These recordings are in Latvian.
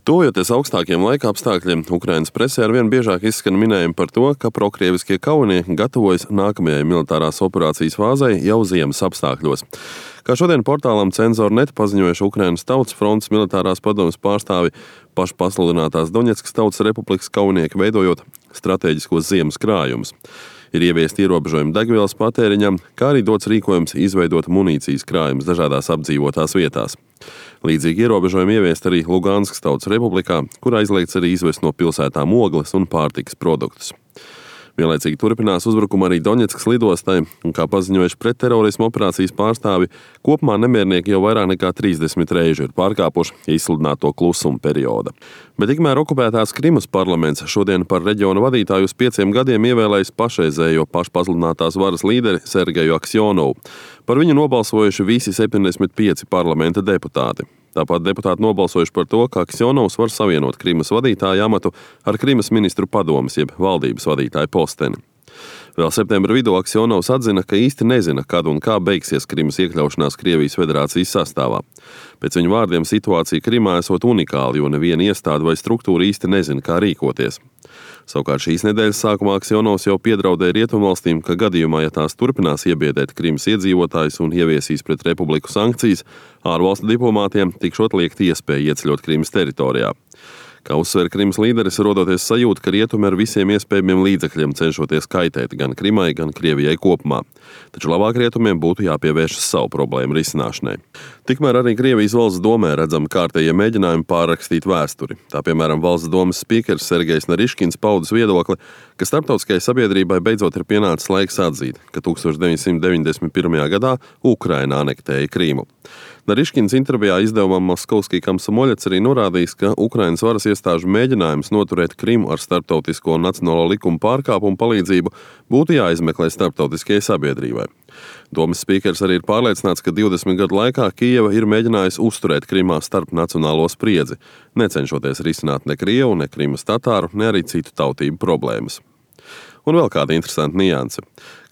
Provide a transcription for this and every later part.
Tuvojoties augstākiem laika apstākļiem, Ukrainas presē arvien biežāk izskan minējumi par to, ka prokrieviskie kaujinieki gatavojas nākamajai militārās operācijas fāzei jau ziemas apstākļos. Kā šodien portālam Cenzor.net paziņojuši Ukrainas Tautas frontes militārās padomes pārstāvi, pašpasludinātās Doņetskas Tautas Republikas kaujinieki veidojot stratēģiskos ziemas krājumus. Ir ieviesti ierobežojumi degvielas patēriņam, kā arī dots rīkojums izveidot munīcijas krājumus dažādās apdzīvotās vietās. Līdzīgi ierobežojumi ieviest arī Luganskas Tautas Republikā, kur aizliegts arī izvest no pilsētām ogles un pārtikas produktus. Vienlaicīgi turpinās uzbrukumu arī Doņetskas lidostai, un kā paziņojuši pretterorismu operācijas pārstāvi, kopumā nemiernieki jau vairāk nekā 30 reižu ir pārkāpuši izsludināto klusuma perioda. Bet tikmēr okupētās Krimas parlaments šodien par reģiona vadītāju uz 5 gadiem ievēlējis pašreizējo pašpasludinātās varas līderi Sergeju Aksjonovu. Par viņu nobalsojuši visi 75 parlamenta deputāti. Tāpat deputāti nobalsojuši par to, ka Aksjonovs var savienot Krimas vadītāja amatu ar Krimas ministru padomes jeb valdības vadītāja posteni. Vēl septembra vidū Aksjonovs atzina, ka īsti nezina, kad un kā beigsies Krimas iekļaušanās Krievijas federācijas sastāvā. Pēc viņa vārdiem situācija Krimā esot unikāla, jo neviena iestāde vai struktūra īsti nezina, kā rīkoties. Savukārt šīs nedēļas sākumā Aksjonovs jau piedraudēja rietumvalstīm, ka gadījumā, ja tās turpinās iebiedēt Krimas iedzīvotājus un ieviesīs pret republiku sankcijas, ārvalstu diplomātiem tikšot liekt iespēja ieceļot Krimas teritorijā. Kā uzsver Krimas līderis, rodoties sajūta, ka rietumi ar visiem iespējamiem līdzekļiem cenšoties kaitēt gan Krimai, gan Krievijai kopumā. Taču labāk rietumiem būtu jāpievēršas savu problēmu risināšanai. Tikmēr arī Krievijas valsts domē redzami kārtējie mēģinājumi pārrakstīt vēsturi. Tā piemēram valsts domes spīkers Sergejs Nariškins paudis viedokli, ka starptautiskajai sabiedrībai beidzot ir pienācis laiks atzīt, ka 1991. gadā Ukraina anektēja Krīmu. Nariškins intervijā izdevumam Moskovskij Komsomoļets arī norādījis, ka Ukrainas varas iestāžu mēģinājums noturēt Krimu ar starptautisko un nacionālo likumu pārkāpumu palīdzību būtu jāizmeklē starptautiskajai sabiedrībai. Domes spīkers arī ir pārliecināts, ka 20 gadu laikā Kijeva ir mēģinājusi uzturēt Krimā starpnacionālo spriedzi, necenšoties risināt ne krievu, ne Krimas tatāru, ne arī citu tautību problēmas. Un vēl kāda interesanta nianse.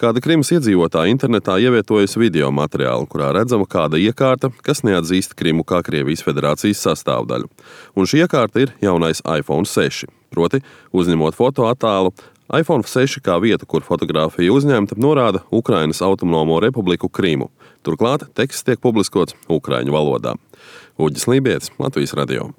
Kāda Krimas iedzīvotāja internetā ievietojusi video materiālu, kurā redzama kāda iekārta, kas neatzīst Krimu kā Krievijas federācijas sastāvdaļu. Un šī iekārta ir jaunais iPhone 6. Proti, uzņemot fotoattēlu, iPhone 6 kā vieta, kur fotogrāfija uzņemta, norāda Ukrainas autonomo republiku Krimu. Turklāt teksts tiek publiskots ukraiņu valodā. Uģis Lībietis, Latvijas radio.